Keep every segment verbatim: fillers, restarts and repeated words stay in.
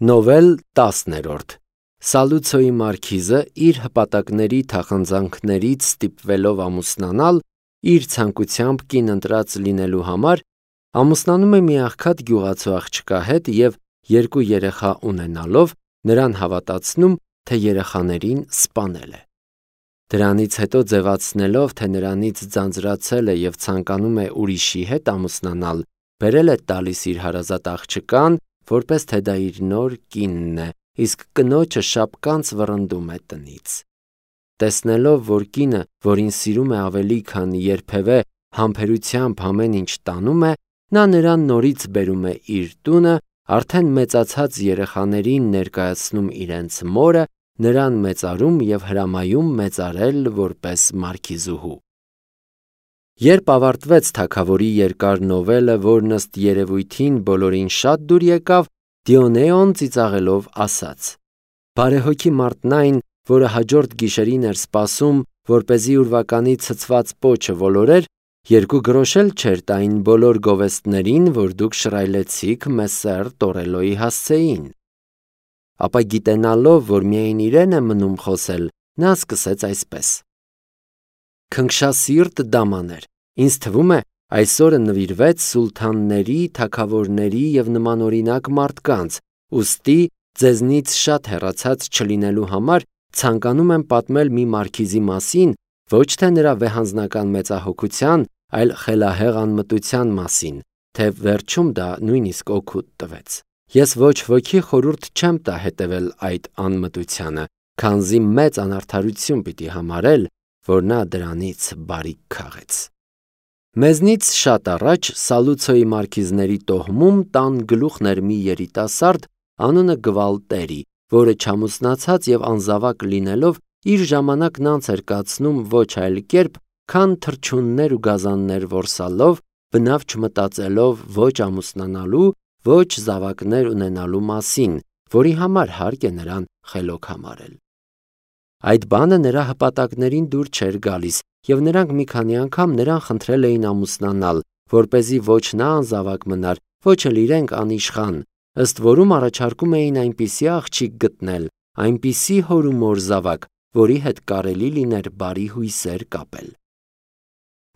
Նովել տասներորդ Սալուցոյի մարքիզը իր հպատակների թախանձանքներից ստիպվելով ամուսնանալ, իր ցանկությամբ կին ընտրած լինելու համար, ամուսնանում է մի աղքատ գյուղացու աղջկա հետ և երկու երեխա ունենալով, նրան հավատացնում, թե երեխաներին սպանել է։ Դրանից հետո ձևացնելով, թե նրանից ձանձրացել է և ցանկանում է ուրիշի հետ ամուսնանալ, բերել է տալիս իր հարազատ աղջկան, որպես թե դա իր նոր կինն է, իսկ կնոջը շապկանց վռնդում է տնից։ Տեսնելով, որ կինը, որին սիրում է ավելի, քան երբևէ, համբերությամբ ամեն ինչ տանում է, նա նրան նորից բերում է իր տունը, արդեն մեծացած երեխաներին ներկայացնում իրենց մորը, նրան մեծարում և հրամայում մեծարել որպես մարքիզուհու։ Երբ ավարտվեց թագավորի երկար նովելը, որն ըստ երևույթին բոլորին շատ դուր եկավ, Դիոնեոն ծիծաղելով ասաց. «Բարեհոգի մարդն այն, որը հաջորդ գիշերին էր սպասում, որպեսզի ուրվականի ցցված պոչը ոլորեր, երկու գրոշ էլ չէր տային բոլոր գովեստներին, որ դուք շռայլեցիք Մեսսեր Տորելոյի հասցեին»։ Ապա գիտենալով, որ միայն իրեն է մնում խոսել, նա սկսեց այսպես. «Քնքշասիրտ դամաներ, ինձ թվում է, այսօրը նվիրվեց սուլթանների, թագավորների և նմանօրինակ մարդկանց, ուստի ձեզնից շատ հեռացած չլինելու համար ցանկանում եմ պատմել մի մարքիզի մասին, ոչ թե նրա վեհանձնական մեծահոգության, այլ խելահեղ անմտության մասին, թե վերջում դա նույնիսկ օգուտ տվեց։ Ես ոչ ոքի խորհուրդ չեմ տա հետևել այդ անմտությանը, քանզի մեծ անարդարություն պիտի համարել, որ նա դրանից բարիք քաղեց։ Մեզնից շատ առաջ Սալուցոյի մարքիզների տոհմում տան գլուխն էր մի երիտասարդ, անունը Գվալտերի, որը չամուսնացած և անզավակ լինելով, իր ժամանակն անց էր կացնում ոչ այլ կերպ, քան թռչուններ ու գազաններ որսալով, բնավ չմտածելով ոչ ամուսնանալու, ոչ զավակներ ունենալու մասին, որի համար հարկ է նրան խելոք համարել։ Այդ բանը նրա հպատակներին դուր չէր գալիս, և նրանք մի քանի անգամ նրան խնդրել էին ամուսնանալ, որպեսզի ոչ նա անզավակ մնար, ոչ էլ իրենք անիշխան, ըստ որում առաջարկում էին այնպիսի աղջիկ գտնել, այնպիսի հոր ու մոր զավակ, որի հետ կարելի լիներ բարի հույսեր կապել։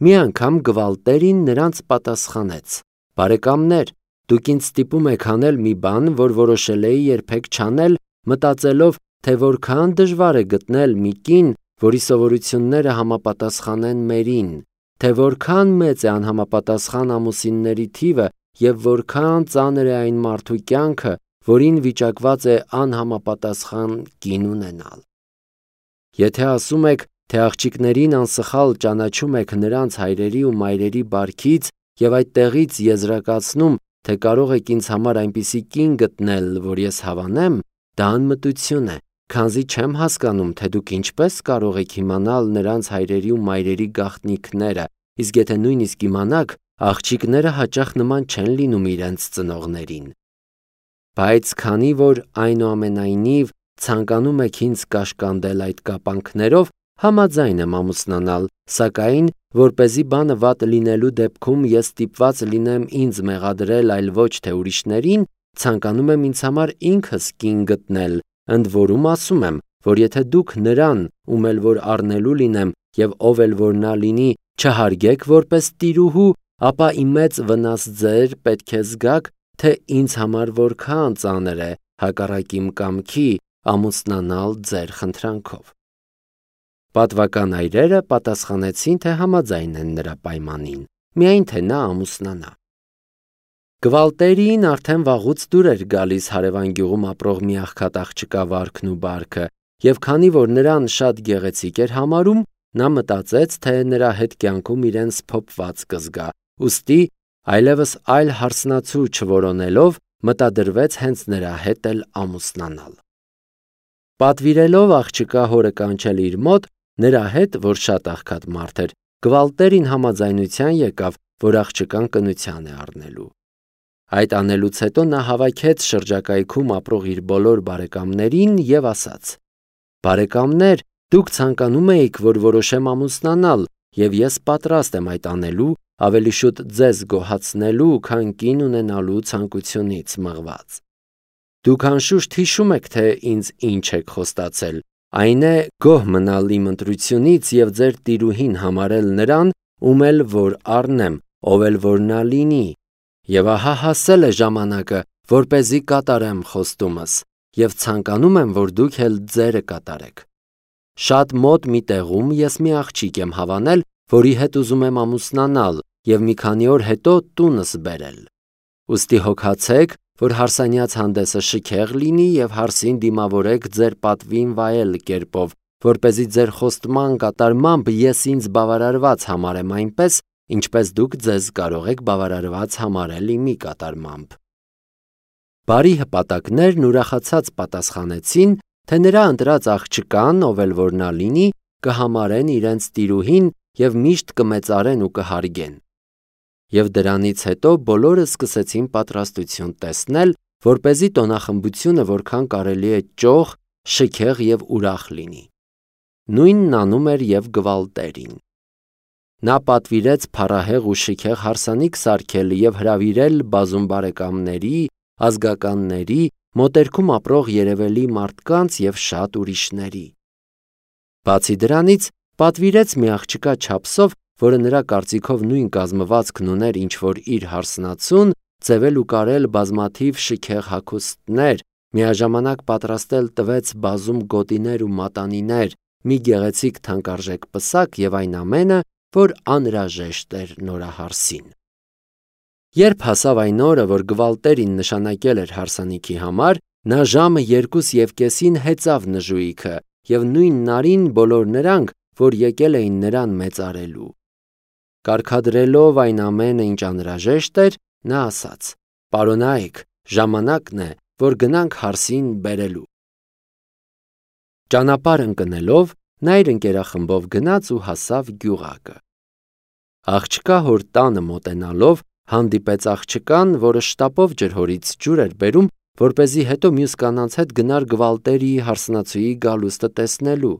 Մի անգամ Գվալտերին նրանց պատասխանեց. «Բարեկամներ, դուք ինձ ստիպում եք անել մի բան, որ որոշել էի երբեք չանել, մտածելով, թե որքան դժվար է գտնել մի կին, որի սովորությունները համապատասխանեն մերին, թե որքան մեծ է անհամապատասխան ամուսինների թիվը և որքան ծանր է այն մարդու կյանքը, որին վիճակված է անհամապատասխան կին ունենալ։ Եթե ասում եք, թե աղջիկներին անսխալ ճանաչում եք նրանց հայրերի ու մայրերի բարքից և այդտեղից եզրակացնում, թե կարող եք ինձ համար այնպիսի կին գտնել, որ ես հավանեմ, դա անմտություն է, քանզի չեմ հասկանում, թե դուք ինչպես կարող եք իմանալ նրանց հայրերի ու մայրերի գաղտնիքները, իսկ եթե նույնիսկ իմանաք, աղջիկները հաճախ նման չեն լինում իրենց ծնողներին։ Բայց քանի որ այնուամենայնիվ ցանկանում եք ինձ կաշկանդել այդ կապանքներով, համաձայն եմ ամուսնանալ, սակայն, որպեսզի բանը վատ լինելու դեպքում ես ստիպված լինեմ ինձ մեղադրել, այլ ոչ թե ուրիշներին, ցանկանում եմ ինձ համար ինքս կին գտնել, ընդ որում ասում եմ, որ եթե դուք նրան, ում էլ որ առնելու լինեմ և ով էլ որ նա լինի, չհարգեք որպես տիրուհու, ապա ի մեծ վնաս ձեր պետք է զգաք, թե ինձ համար որքան ծանր է, հակառակ իմ կամքի, ամուսնանալ ձեր խնդրանքով։ Պատվական այրերը պատասխանեցին, թե համաձայն են նրա պայմանին, միայն թե նա ամուսնանա։ Գվալտերին արդեն վաղուց դուր էր գալիս հարևան գյուղում ապրող մի աղքատ աղջկա վարքն ու բարքը, և քանի որ նրան շատ գեղեցիկ էր համարում, նա մտածեց, թե նրա հետ կյանքում իրեն սփոփված կզգա, ուստի այլևս այլ հարսնացու չորոնելով, մտադրվեց հենց նրա հետ էլ ամուսնանալ։ Պատվիրելով աղջկա հորը կանչել իր մոտ, նրա հետ, որ շատ աղքատ մարդ էր, Գվալտերին համաձայնության եկավ, որ աղջկան կնության է առնելու։ Այդ անելուց հետո նա հավաքեց շրջակայքում ապրող իր բոլոր բարեկամներին և ասաց. «Բարեկամներ, դուք ցանկանում էիք, որ որոշեմ ամուսնանալ, և ես պատրաստ եմ այդ անելու, ավելի շուտ ձեզ գոհացնելու, քան կին ունենալու ցանկությունից մղված։ Դուք անշուշտ հիշում եք, թե ինձ ինչ եք խոստացել, այն է գոհ մնալ իմ ընտրությունից և ձեր տիրուհին համարել նրան, ում էլ որ առնեմ, ով էլ որ նա լինի, և ահա հասել է ժամանակը, որպեսզի կատարեմ խոստումս, և ցանկանում եմ, որ դուք էլ ձերը կատարեք։ Շատ մոտ մի տեղում ես մի աղջիկ եմ հավանել, որի հետ ուզում եմ ամուսնանալ և մի քանի օր հետո տունս բերել։ Ուստի հոգացեք, որ հարսանյաց հանդեսը շքեղ լինի և հարսին դիմավորեք ձեր պատվին վայել կերպով, որպեսզի ձեր խոստման կատարմամբ ես ինձ բավարարված համարեմ այնպես, ինչպես դուք ձեզ կարող եք բավարարված համարել իմի կատարմամբ։ Բարի հպատակներն ուրախացած պատասխանեցին, թե նրա ընտրած աղջկան, ով էլ որ նա լինի, կհամարեն իրենց տիրուհին և միշտ կմեծարեն ու կհարգեն։ Եվ դրանից հետո բոլորը սկսեցին պատրաստություն տեսնել, որպեսզի տոնախմբությունը որքան կարելի է ճոխ, շքեղ և ուրախ լինի։ Նույնն անում էր և Գվալտերին։ Նա պատվիրեց փառահեղ ու շքեղ հարսանիք սարքել և հրավիրել բազում բարեկամների, ազգականների, մոտերքում ապրող երևելի մարդկանց և շատ ուրիշների։ Բացի դրանից, պատվիրեց մի աղջկա չափսով, որը նրա կարծիքով նույն կազմվածքն ուներ, ինչ որ իր հարսնացուն, ձևել ու կարել բազմաթիվ շքեղ հագուստներ, միաժամանակ պատրաստել տվեց բազում գոտիներ ու մատանիներ, մի գեղեցիկ թանկարժեք պսակ և այն ամենը, որ անհրաժեշտ էր նորահարսին։ Երբ հասավ այն օրը, որ Գվալտերին նշանակել էր հարսանիքի համար, նա ժամը երկուս և կեսին հեծավ նժույգը և նույն նարին բոլոր նրանք, որ եկել էին նրան մեծարելու։ Կարգադրելով այն ամենը, ինչ անհրաժեշտ էր, նա ասաց. «Պարոնայք, ժամանակն է, որ գնանք հարսին բերելու»։ Ճանապարհ ընկնելով, նա իր ընկերախմբով գնաց ու հասավ գյուղակը։ Աղջկա հոր տանը մոտենալով, հանդիպեց աղջկան, որը շտապով ջրհորից ջուր էր բերում, որպեսզի հետո մյուս կանանց հետ գնար Գվալտերիի հարսնացուի գալուստը տեսնելու։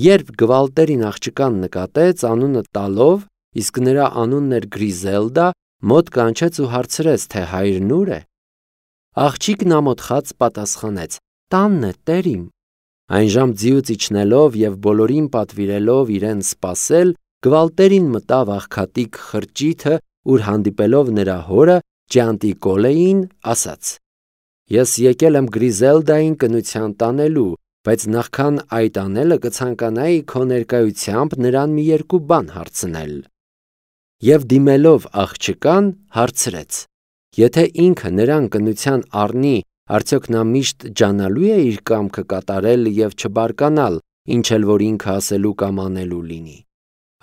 Երբ Գվալտերին աղջկան նկատեց, անունը տալով, իսկ նրա անունն էր Գրիզելդա, մոտ կանչեց ու հարցրեց, թե հայրն ուր է։ Աղջիկն ամոթխած պատասխանեց. «Տանն է, տերիմ»։ Այնժամ ձիուց իջնելով և բոլորին պատվիրելով իրեն սպասել, Գվալտերին մտավ աղքատիկ խրճիթը, ուր հանդիպելով նրա հորը, Ջանտիկոլեին, ասաց. «Ես եկել եմ Գրիզելդային կնության տանելու, բայց նախքան այդ անելը կցանկանայի քո ներկայությամբ նրան մի երկու բան հարցնել»։ Եվ դիմելով աղջկան, հարցրեց. «Եթե ինքը նրան կնության առնի, արդյոք նա միշտ ջանալու է իր կամքը կատարել և չբարկանալ, ինչ էլ որ ինքը ասելու կամ անելու լինի։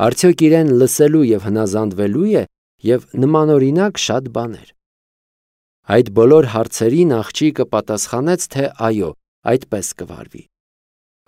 Արդյոք իրեն լսելու և հնազանդվելու է և նմանօրինակ շատ բաներ»։ Այդ բոլոր հարցերին աղջիկը պատասխանեց, թե այո, այդպես կվարվի։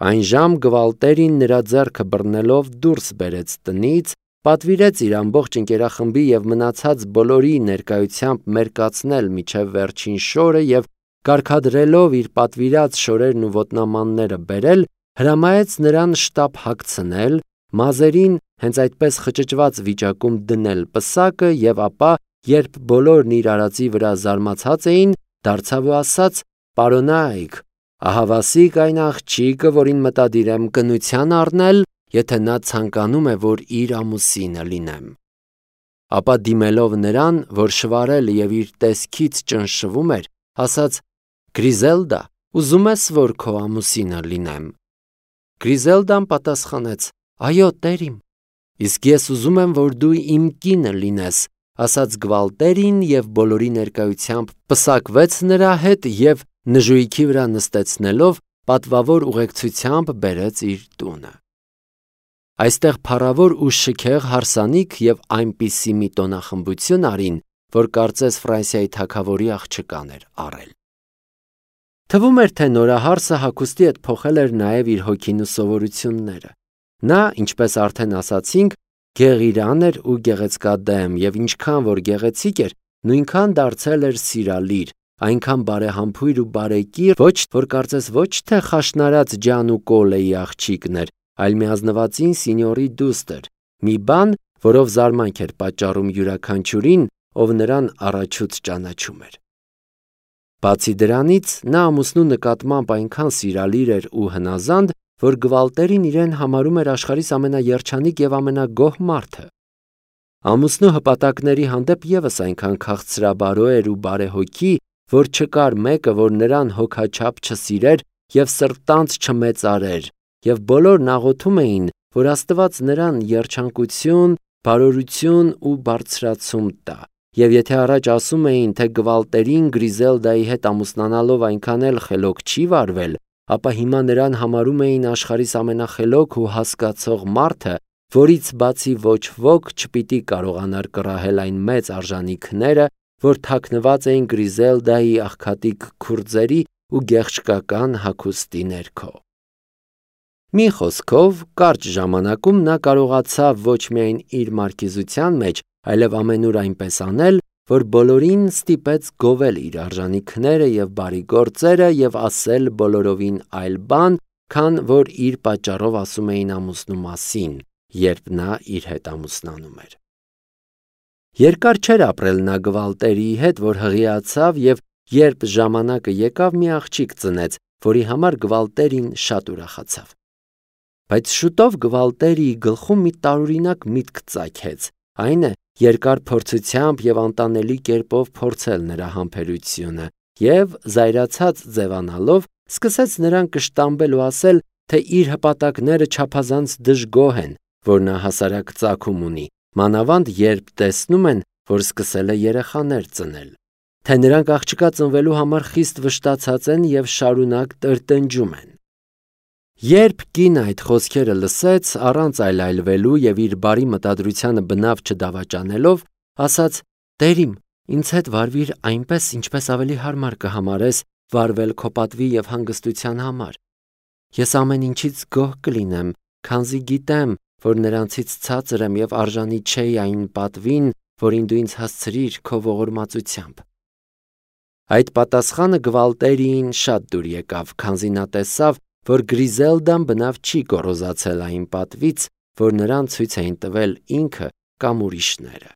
Այնժամ Գվալտերին նրա ձեռքը բռնելով դուրս բերեց տնից, պատվիրեց իր ամբողջ ընկերախմբի և մնացած բոլորի ներկայությամբ մերկացնել մինչև վերջին շորը և կարգադրելով իր պատվիրած շորերն ու ոտնամանները բերել, հրամայեց նրան շտապ հագցնել, մազերին հենց այդպես խճճված վիճակում դնել պսակը և ապա, երբ բոլորն իր արածի վրա զարմացած էին, դարձավ ու ասաց. «Պարոնայք, ահավասիկ այն աղջիկը, որին մտադիր եմ կնության առնել, եթե նա ցանկանում է, որ իր ամուսինը լինեմ»։ Ապա դիմելով նրան, որ շվարել և իր տեսքից ճնշվում էր, ասաց. «Գրիզելդա, ուզում ես, որ քո ամուսինը լինեմ»։ Գրիզելդան պատասխանեց. «Այո, տերիմ»։ «Իսկ ես ուզում եմ, որ դու իմ կինը լինես», ասաց Գվալտերին և բոլորի ներկայությամբ պսակվեց նրա հետ և նժույգի վրա նստեցնելով, պատվավոր ուղեկցությամբ բերեց իր տունը։ Այստեղ փառավոր ու շքեղ հարսանիք և այնպիսի մի տոնախմբություն արին, որ կարծես Ֆրանսիայի թագավորի աղջկան էր առել։ Թվում էր, թե նորահարսը հագուստի հետ փոխել էր նաև իր հոգին ու սովորությունները։ Նա, ինչպես արդեն ասացինք, գեղիրան էր ու գեղեցկադեմ և ինչքան որ գեղեցիկ էր, նույնքան դարձել էր սիրալիր, այնքան բարեհամբույր ու բարեկիր, ոչ որ կարծես ոչ թե խաշնարած Ջանուկոլեի աղջիկն էր, այլ միազնվածին սինյորի դուստր, մի բան, որով զարմանք էր պատճառում յուրաքանչյուրին, ով նրան առաջուց ճանաչում էր։ Բացի դրանից, նա ամուսնու նկատմամբ այնքան սիրալիր էր ու հնազանդ, որ գվալտերին իրեն համարում էր աշխարհիս ամենաերջանիկ եւ ամենագոհ մարդը։ Ամուսնու հպատակների հանդեպ ևս այնքան քաղցրաբարո էր ու բարեհոգի, որ չկար մեկը, որ նրան հոգաչափ չսիրեր եւ սրտանց չմեծարեր, եւ բոլորն աղոթում էին, որ Աստված նրան երջանկություն, բարօրություն ու բարձրացում տա։ Եվ եթե առաջ ասում էին, թե Գվալտերին Գրիզելդայի հետ ամուսնանալով այնքան էլ խելոք չի վարվել, ապա հիմա նրան համարում էին աշխարհիս ամենախելոք ու հասկացող մարդը, որից բացի ոչ ոք չպիտի կարողանար կռահել այն մեծ արժանինքները, որ թաքնված էին Գրիզելդայի աղքատիկ քուրձերի ու գեղչկական հագուստի ներքո։ Մի խոսքով, կարճ ժամանակում նա կարողացավ ոչ միայն իր մարքիզության մեջ, այլև ամենուր այնպես անել, որ բոլորին ստիպեց գովել իր արժանինքները եւ բարի գործերը եւ ասել բոլորովին այլ բան, քան որ իր պատճառով ասում էին ամուսնու մասին, երբ նա իր հետ ամուսնանում էր։ Երկար չէր ապրել նա Գվալտերի հետ, որ հղիացավ եւ երբ ժամանակը եկավ, մի աղջիկ ծնեց, որի համար Գվալտերին շատ ուրախացավ։ Բայց շուտով Գվալտերիի գլխում մի տարօրինակ միտք ծագեց, այն է երկար փորձությամբ եւ անտանելի կերպով փորձել նրա համբերությունը եւ զայրացած ձևանալով սկսեց նրան կշտամբել ու ասել, թե իր հպատակները չափազանց դժգոհ են, որ նա հասարակ ծագում ունի, մանավանդ երբ տեսնում են, որ սկսել է երեխաներ ծնել, թե նրանք աղջկա ծնվելու համար խիստ վշտացած են եւ շարունակ տրտնջում են։ Երբ կինը այդ խոսքերը լսեց, առանց այլայլվելու եւ իր բարի մտադրությանը բնավ չդավաճանելով, ասաց. «Տեր իմ, ինձ հետ վարվիր այնպես, ինչպես ավելի հարմար կհամարես վարվել քո պատվի եւ հանգստության համար։ Ես ամեն ինչից գոհ կլինեմ, քանզի գիտեմ, որ նրանցից ցածր եմ եւ արժանի չէի այն պատվին, որին դու ինձ հասցրիր քո ողորմածությամբ»։ Այդ պատասխանը Գվալտերիին շատ դուր եկավ, քանզի նա տեսավ, որ Գրիզելդան բնավ չի գոռոզացել այն պատվից, որ նրան ցույց էին տվել ինքը կամ ուրիշները։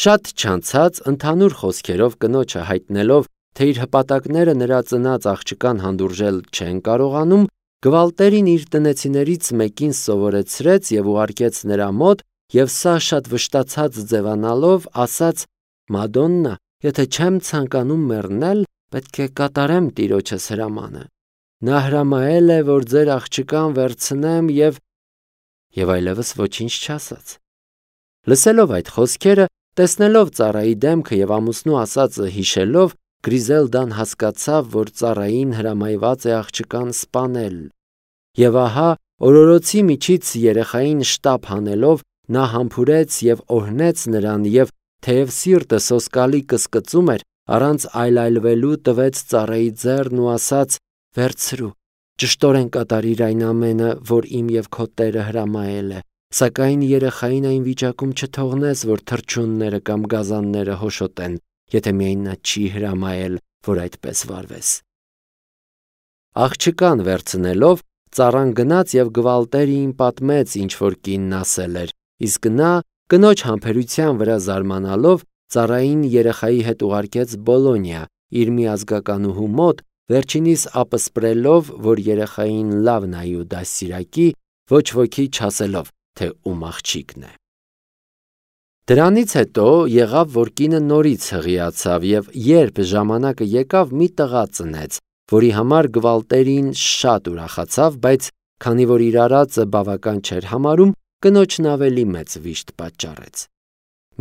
Շատ չանցած, ընդհանուր խոսքերով կնոջը հայտնելով, թե իր հպատակները նրա ծնած աղջկան հանդուրժել չեն կարողանում, Գվալտերին իր տնեցիներից մեկին սովորեցրեց եւ ուղարկեց նրա մոտ, եւ սա շատ վշտացած ձևանալով ասաց. «Մադոննա, եթե չեմ ցանկանում մեռնել, պետք է կատարեմ տիրոջս հրամանը։ Նա հրամայել է, որ ձեր աղջկան վերցնեմ եւ…» Եվ այլևս ոչինչ չասաց։ Լսելով այդ խոսքերը, տեսնելով ծառայի դեմքը եւ ամուսնու ասածը հիշելով, Գրիզելդան հասկացավ, որ ծառային հրամայված է աղջկան սպանել։ Եվ ահա, օրորոցի միջից երեխային շտապ հանելով, նա համբուրեց եւ օրհնեց նրան եւ, թեև սիրտը սոսկալի կսկծում էր, առանց այլայլվելու տվեց ծառայի ձեռն ու ասաց. «Վերցրու, ճշտորեն կատարիր այն ամենը, որ իմ եւ քո Տերը հրամայել է, սակայն երեխային այն վիճակում չթողնես, որ թռչունները կամ գազանները հոշոտեն, եթե միայն նա չի հրամայել, որ այդպես վարվես»։ Աղջկան վերցնելով, ծառան գնաց եւ Գվալտերիին պատմեց, ինչ որ կինն ասել էր, իսկ նա, կնոջ համբերության վրա զարմանալով, ծառային երեխայի հետ ուղարկեց Բոլոնիա, իր մի ազգականուհու մոտ, վերջինիս ապսպրելով, որ երեխային լավ նայի ու դաստիարակի, ոչ ոքի չասելով, թե ում աղջիկն է։ Դրանից հետո եղավ, որ կինը նորից հղիացավ եւ երբ ժամանակը եկավ, մի տղա ծնեց, որի համար Գվալտերին շատ ուրախացավ, բայց քանի որ իր արածը բավական չէր համարում, կնոջն ավելի մեծ վիշտ պատճառեց։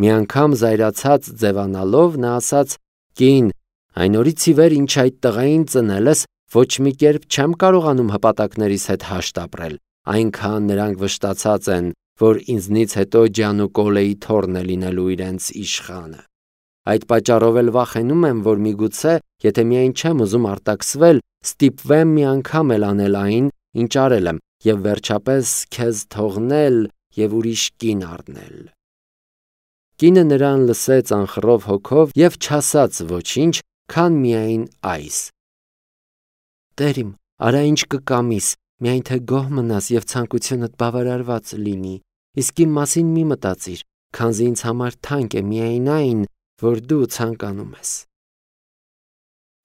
Մի անգամ զայրացած ձևանալով նա ասաց. «Կին, այն օրից ի վեր ինչ այդ տղային ծնել ես, ոչ մի կերպ չեմ կարողանում հպատակներիս հետ հաշտ ապրել, այնքան նրանք վշտացած են, որ ինձնից հետո Ջանուկոլեի թոռն է լինելու իրենց իշխանը։ Այդ պատճառով էլ վախենում եմ, որ միգուցե, եթե միայն չեմ ուզում արտաքսվել, ստիպվեմ մի անգամ էլ անել այն, ինչ արել եմ, եւ վերջապես քեզ թողնել եւ ուրիշ կին առնել»։ Կինը նրան լսեց անխռով հոգով եւ չասաց ոչինչ, քան միայն այս. «Տեր իմ, արա ինչ կկամիս, միայն թե գոհ մնաս եւ ցանկությունդ բավարարված լինի, իսկ իմ մասին մի մտածիր, քանզի ինձ համար թանկ է միայն այն, որ դու ցանկանում ես»։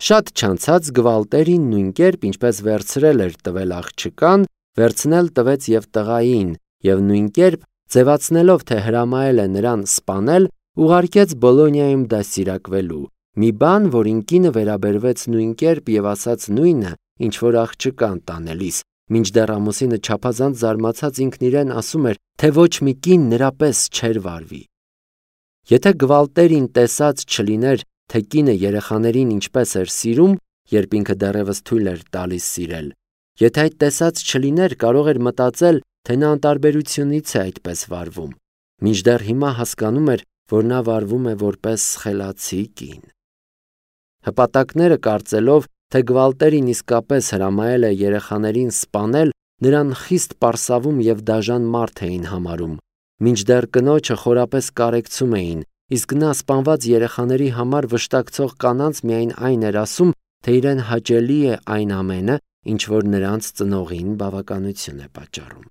Շատ չանցած Գվալտերին նույն կերպ, ինչպես վերցրել էր տվել աղջկան, վերցնել տվեց և տղային, և նույն կերպ, ձևացնելով, թե հրամայել է նրան սպանել, ուղարկեց Բոլոնիայում դաստիարակվելու, մի բան, որին կինը վերաբերվեց նույն կերպ և ասաց նույնը, ինչ որ աղջկան տանելիս, մինչդեռ ամուսինը չափազանց զարմացած ինքն իրեն ասում էր, թե ոչ մի կին նրա պես չէր վարվի։ Եթե Գվալտերին տեսած չլիներ, թե կինը երեխաներին ինչպես էր սիրում, երբ ինքը դեռևս թույլ էր տալիս սիրել, եթե այդ տեսած չլիներ, կարող էր մտածել, թե նա անտարբերությունից է այդպես վարվում, մինչդեռ հիմա հասկանում էր, որ նա վարվում է որպես խելացի կին։ Հպատակները կարծելով, թե Գվալտերին իսկապես հրամայել է երեխաներին սպանել, նրան խիստ պարսավում և դաժան մարդ էին համարում, մինչդեռ կնոջը խորապես կարեկցում էին, իսկ նա սպանված երեխաների համար վշտակցող կանանց միայն այն էր ասում, թե իրեն հաճելի է այն ամենը, ինչ որ նրանց ծնողին բավականություն է պատճառում։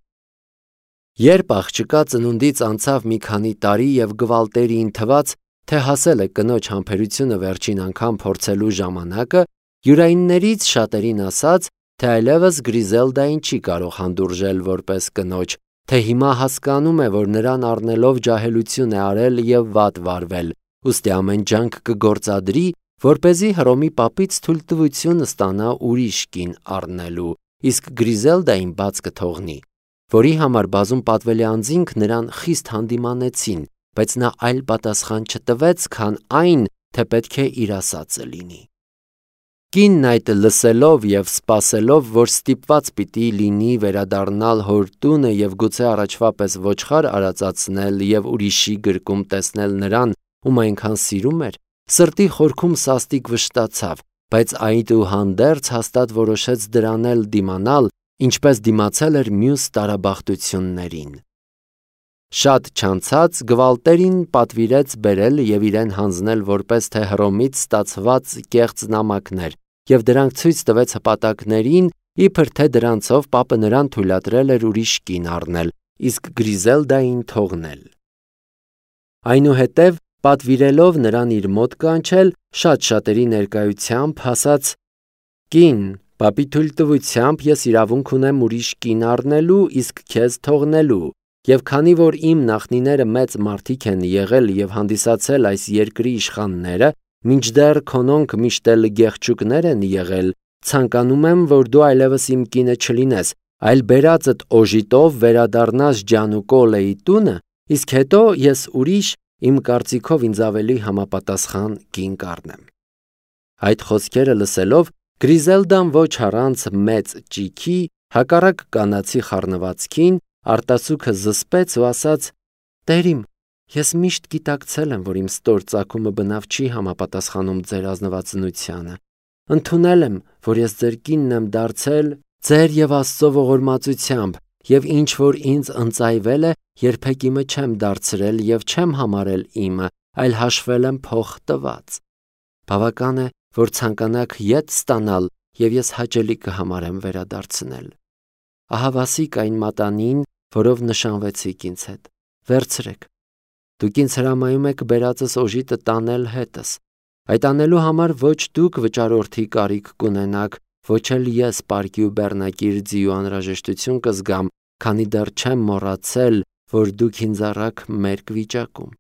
Երբ աղջկա ծնունդից անցավ մի քանի տարի և Գվալտերին թվաց, թե հասել է կնոջ համբերությունը վերջին անգամ փորձելու ժամանակը, յուրայիններից շատերին ասաց, թե այլևս Գրիզելդային չի կարող հանդուրժել որպես կնոջ, թե հիմա հասկանում է, որ նրան առնելով ջահելություն է արել և վատ վարվել, ուստի ամեն ջանք կգործադրի, որպեսզի Հռոմի պապից թույլտվություն ստանա ուրիշ կին առնելու, իսկ Գրիզելդային բաց կթողնի, որի համար բազում պատվելի անձինք նրան խիստ հանդիմանեցին, բայց նա այլ պատասխան չտվեց, քան այն, թե պետք է իր ասածը լինի։ Կինն այդ լսելով և սպասելով, որ ստիպված պիտի լինի վերադառնալ հոր տունը և գուցե առաջվա պես ոչխար արածացնել և ուրիշի գրկում տեսնել նրան, ում այնքան սիրում էր, սրտի խորքում սաստիկ վշտացավ, բայց այդուհանդերձ հաստատ որոշեց դրան էլ դիմանալ, ինչպես դիմացել էր մյուս տարաբախտություններին։ Շատ չանցած Գվալտերին պատվիրեց բերել և իրեն հանձնել որպես թե Հռոմից ստացված կեղծ նամակներ և դրանք ցույց տվեց հպատակներին, իբր թե դրանցով պապը նրան թույլատրել էր ուրիշ կին առնել, իսկ Գրիզելդային թողնել։ Այնուհետև, պատվիրելով նրան իր մոտ կանչել, շատ շատերի ներկայությամբ ասաց. «Կին, պապի թույլտվությամբ ես իրավունք ունեմ ուրիշ կին առնելու, իսկ քեզ թողնելու, և քանի որ իմ նախնիները մեծ մարդիկ են եղել և հանդիսացել այս երկրի իշխանները, մինչդեռ քոնոնք միշտ էլ գեղեցկուկներ են եղել, ցանկանում եմ, որ դու այլևս իմ կինը չլինես, այլ բերածդ օժիտով վերադառնաս Ջանուկոլեի տունը, իսկ հետո ես ուրիշ, իմ կարծիքով ինձ ավելի համապատասխան կին կառնեմ»։ Այդ խոսքերը լսելով, Գրիզելդան ոչ առանց մեծ ճիգի, հակառակ կանացի խառնվածքին, արտասուքը զսպեց ու ասաց. «Տեր իմ, ես միշտ գիտակցել եմ, որ իմ ստոր ծագումը բնավ չի համապատասխանում ձեր ազնվածնությանը, ընդունել եմ, որ ես ձեր կինն եմ դարձել ձեր և Աստծո ողորմածությամբ, և ինչ որ ինձ ընծայվել է, երբեք իմը չեմ դարձրել և չեմ համարել իմը, այլ հաշվել եմ փող տված։ Բավական է, որ ցանկանաք ետ ստանալ, և ես հաճելի կհամարեմ վերադարձնել։ Ահա վասիկ այն մատանին, որով նշանվեցիք ինձ հետ, վերցրեք։ Դուք ինձ հրամայում եք բերածս օժիտը տանել հետս։ Այդ անելու համար ոչ դուք վճարորդի կարիք կունենաք, ոչ էլ ես պարկի ու բեռնակիր ձիու անհրաժեշտություն կզգամ, քանի դեռ չեմ մոռացել, որ դուք ինձ առաք մերկ վիճակում։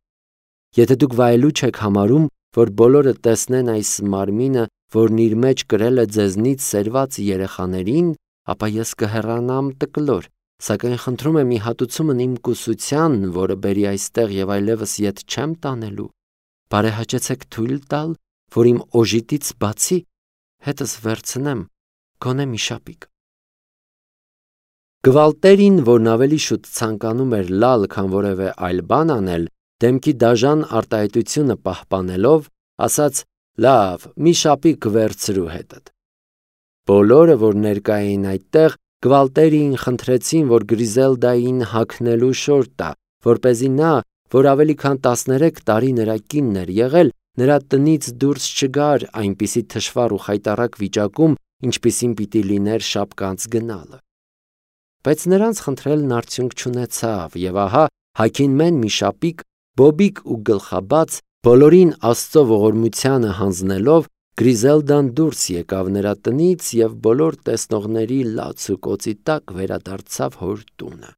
Եթե դուք վայելուչ եք համարում, որ բոլորը տեսնեն այս մարմինը, որն իր մեջ կրել է ձեզնից սերված երեխաներին, ապա ես կհեռանամ տկլոր, սակայն խնդրում եմ ի հատուցումն իմ կուսության, որը բերի այստեղ և այլևս ետ չեմ տանելու, բարեհաճեցեք թույլ տալ, որ իմ օժիտից բացի հետս վերցնեմ գոնե մի շապիկ»։ Գվալտերին, որն ավելի շուտ ցանկանում էր լալ, քան որևէ այլ բան անել, դեմքի դաժան արտահայտությունը պահպանելով, ասաց. «Լավ, մի շապիկ վերցրու հետդ»։ Բոլորը, որ ներկա էին այդտեղ, Գվալտերիին խնդրեցին, որ Գրիզելդային հագնելու շորթ տա, որպեսզի նա, որ ավելի քան տասներեք տարի նրա կինն էր եղել, նրա տնից դուրս չգար այնպիսի թշվառ ու խայտառակ վիճակում, ինչպիսին պիտի լիներ շապկանց գնալը։ Բայց նրանց խնդրելն արդյունք չունեցավ, և ահա հագին մեն մի շապիկ, բոբիկ ու գլխաբաց, բոլորին Աստծո ողորմությանը հանձնելով, Գրիզելդան դուրս եկավ նրա տնից և բոլոր տեսնողների լաց ու կոծի տակ վերադարձավ հոր տունը։